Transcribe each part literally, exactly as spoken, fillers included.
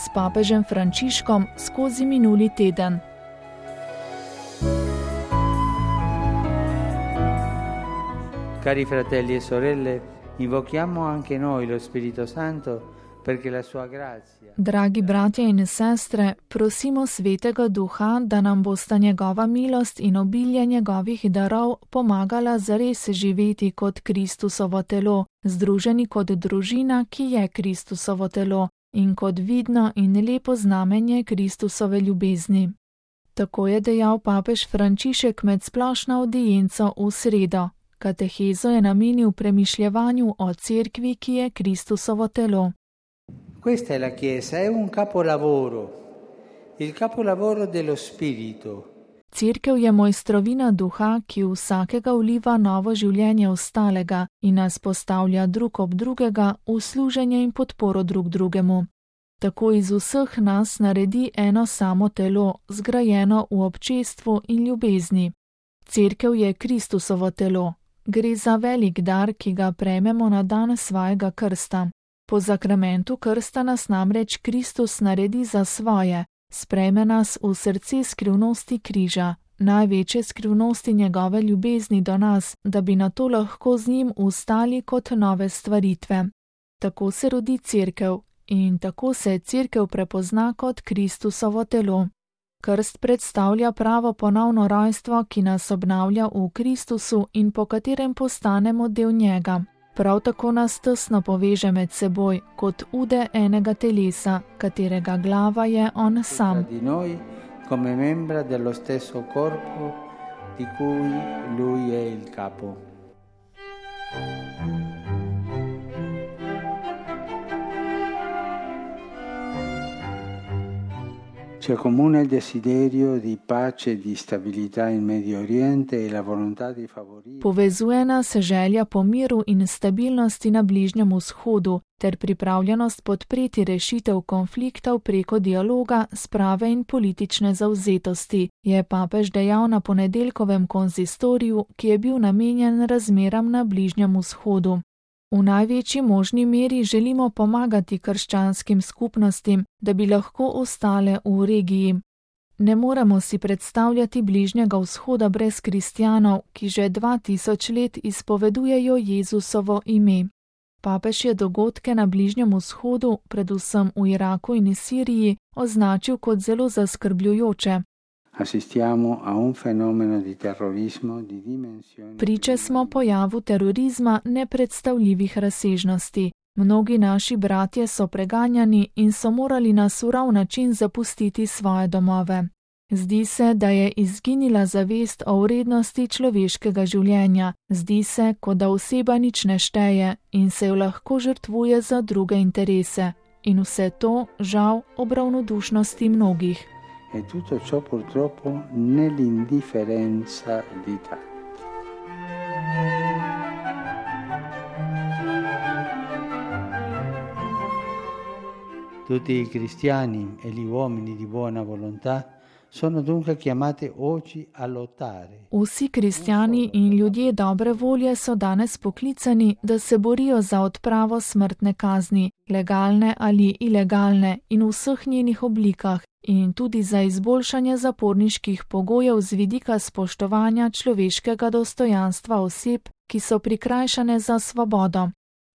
s papežem Frančiškom skozi minuli teden. Cari fratelli e sorelle, invochiamo anche noi lo Spirito Santo perché la sua grazia. Dragi bratje in sestre, prosimo Svetega Duha, da nam bosta njegova milost in obilje njegovih darov pomagala zares živeti kot Kristusovo telo, združeni kot družina, ki je Kristusovo telo, in kot vidno in lepo znamenje Kristusove ljubezni. Tako je dejal papež Frančišek med splošno audienco v sredo. Katehezo je namenil premišljevanju o cerkvi, ki je Kristusovo telo. Questa è la Chiesa, è un capolavoro, il capolavoro dello Spirito. Cerkev je mojstrovina duha, ki vsakega vliva novo življenje ostalega in nas postavlja drug ob drugega v služenje in podporo drug drugemu. Tako iz vseh nas naredi eno samo telo, zgrajeno v občestvu in ljubezni. Cerkev je Kristusovo telo. Gre za velik dar, ki ga prejmemo na dan svojega krsta. Po zakramentu krsta nas namreč Kristus naredi za svoje, sprejme nas v srce skrivnosti križa, največje skrivnosti njegove ljubezni do nas, da bi na to lahko z njim ustali kot nove stvaritve. Tako se rodi cerkev in tako se cerkev prepozna kot Kristusovo telo. Krst predstavlja pravo ponovno rojstvo, ki nas obnavlja v Kristusu in po katerem postanemo del njega. Prav tako nas tesno poveže med seboj, kot ude enega telesa, katerega glava je on sam. Di noi come membra dello stesso corpo di cui lui è il capo. C'è comune il desiderio di pace e di stabilità in Medio Oriente e la volontà di favorire. Povezuje nas želja po miru in stabilnosti na Bližnjem vzhodu ter pripravljenost podpreti rešitev konfliktov preko dialoga, sprave in politične zavzetosti, je papež dejal na ponedeljkovem konzistoriju, ki je bil namenjen razmeram na Bližnjem vzhodu. V največji možni meri želimo pomagati krščanskim skupnostim, da bi lahko ostale v regiji. Ne moremo si predstavljati Bližnjega vzhoda brez kristjanov, ki že dva tisoč let izpovedujejo Jezusovo ime. Papež je dogodke na Bližnjem vzhodu, predvsem v Iraku in Siriji, označil kot zelo zaskrbljujoče. Assistiamo a un fenomeno di terrorismo di dimensioni. Priče smo pojavu terorizma nepredstavljivih razsežnosti. Mnogi naši bratje so preganjani in so morali na surov način zapustiti svoje domove. Zdi se, da je izginila zavest o vrednosti človeškega življenja. Zdi se, kot da oseba nič ne šteje in se jo lahko žrtvuje za druge interese. In vse to, žal, ob ravnodušnosti mnogih. E tutto ciò purtroppo nell'indifferenza di tanti. Tutti i cristiani e gli uomini di buona volontà sono dunque chiamati oggi a lottare. Vsi kristjani in ljudje dobre volje so danes poklicani, da se borijo za odpravo smrtne kazni, legalne ali ilegalne in v vseh njenih oblikah, in tudi za izboljšanje zaporniških pogojev z vidika spoštovanja človeškega dostojanstva oseb, ki so prikrajšane za svobodo.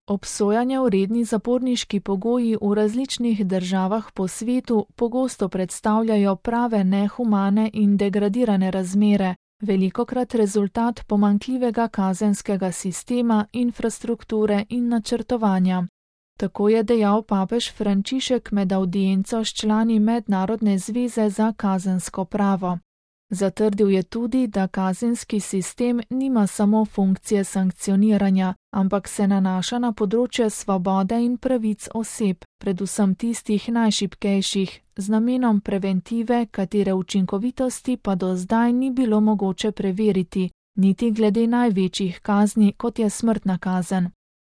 Obsojanja vredni zaporniški pogoji v različnih državah po svetu pogosto predstavljajo prave nehumane in degradirane razmere, velikokrat rezultat pomanjkljivega kazenskega sistema, infrastrukture in načrtovanja. Tako je dejal papež Frančišek med audienco s člani Mednarodne zveze za kazensko pravo. Zatrdil je tudi, da kazenski sistem nima samo funkcije sankcioniranja, ampak se nanaša na področje svobode in pravic oseb, predvsem tistih najšibkejših, z namenom preventive, katere učinkovitosti pa do zdaj ni bilo mogoče preveriti, niti glede največjih kazni, kot je smrtna kazen.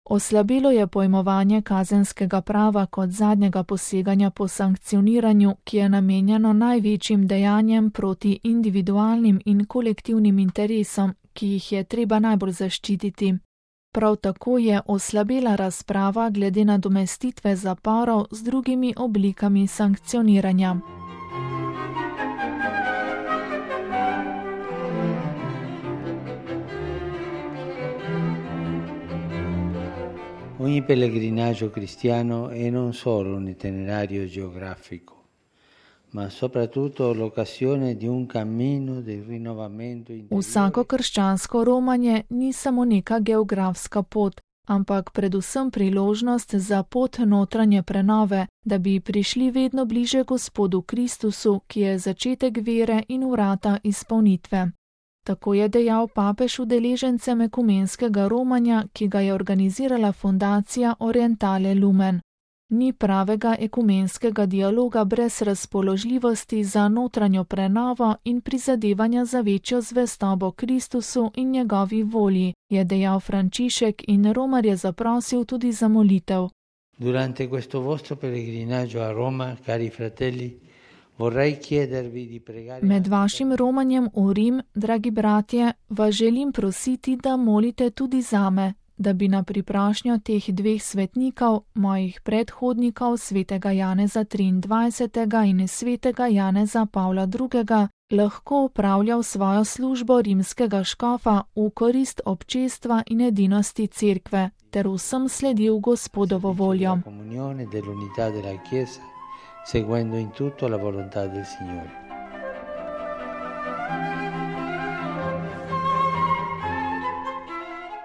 Oslabelo je pojmovanje kazenskega prava kot zadnjega poseganja po sankcioniranju, ki je namenjeno največjim dejanjem proti individualnim in kolektivnim interesom, ki jih je treba najbolj zaščititi. Prav tako je oslabela razprava glede nadomestitve zaporov z drugimi oblikami sankcioniranja. Ogni pellegrinaggio cristiano è non solo un itinerario geografico, ma soprattutto l'occasione di un cammino di rinnovamento interiore. Vsako krščansko romanje ni samo neka geografska pot, ampak predvsem priložnost za pot notranje prenove, da bi prišli vedno bliže Gospodu Kristusu, ki je začetek vere in vrata izpolnitve. Tako je dejal papež udeležencem ekumenskega romanja, ki ga je organizirala fundacija Orientale Lumen. Ni pravega ekumenskega dialoga brez razpoložljivosti za notranjo prenovo in prizadevanja za večjo zvestobo Kristusu in njegovi volji, je dejal Frančišek in romarje zaprosil tudi za molitev. Durante questo vostro pellegrinaggio a Roma, cari fratelli, vorrei chiedervi di pregare. Med vašim romanjem v Rim, dragi bratje, vas želim prositi, da molite tudi zame, da bi na priprošnjo teh dveh svetnikov, mojih predhodnikov, svetega Janeza triindvajsetega in svetega Janeza Pavla drugega, lahko opravljal svojo službo rimskega škofa v korist občestva in edinosti cerkve, ter vsem sledil Gospodovo voljo. Seguendo in tutto la volontà del Signore.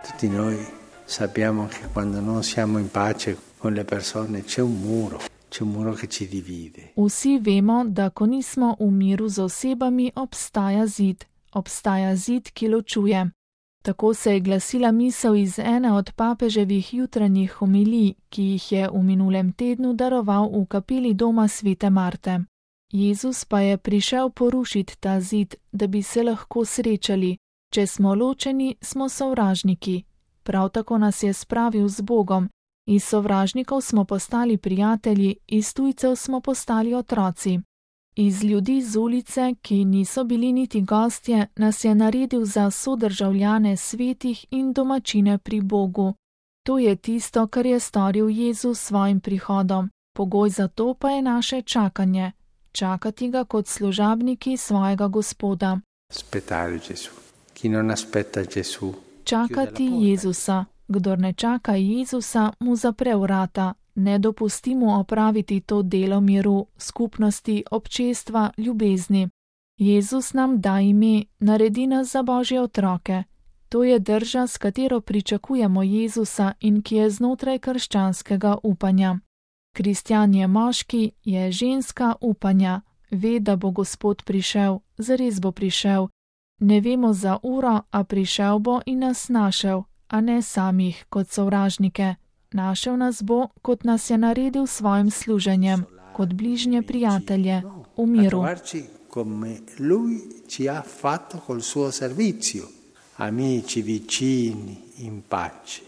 Tutti noi sappiamo che quando non siamo in pace con le persone c'è un muro, c'è un muro che ci divide. Vsi vemo, da ko nismo v miru z osebami, obstaja zid, obstaja zid, ki ločuje. Tako se je glasila misel iz ene od papeževih jutranjih homilij, ki jih je v minulem tednu daroval v kapeli doma svete Marte. Jezus pa je prišel porušiti ta zid, da bi se lahko srečali. Če smo ločeni, smo sovražniki. Prav tako nas je spravil z Bogom. Iz sovražnikov smo postali prijatelji, iz tujcev smo postali otroci. Iz ljudi z ulice, ki niso bili niti gostje, nas je naredil za sodržavljane svetih in domačine pri Bogu. To je tisto, kar je storil Jezus s svojim prihodom. Pogoj za to pa je naše čakanje. Čakati ga kot služabniki svojega Gospoda. Čakati Jezusa. Kdor ne čaka Jezusa, mu zapre vrata. Ne dopusti mu opraviti to delo miru, skupnosti, občestva, ljubezni. Jezus nam da ime, naredi nas za Božje otroke. To je drža, s katero pričakujemo Jezusa in ki je znotraj krščanskega upanja. Kristjan je moški, je ženska upanja. Ve, da bo Gospod prišel, zares bo prišel. Ne vemo za uro, a prišel bo in nas našel, a ne samih kot sovražnike. Našel nas bo, kot nas je naredil s svojim služenjem, kot bližnje prijatelje, v miru. Amici vicini in pace.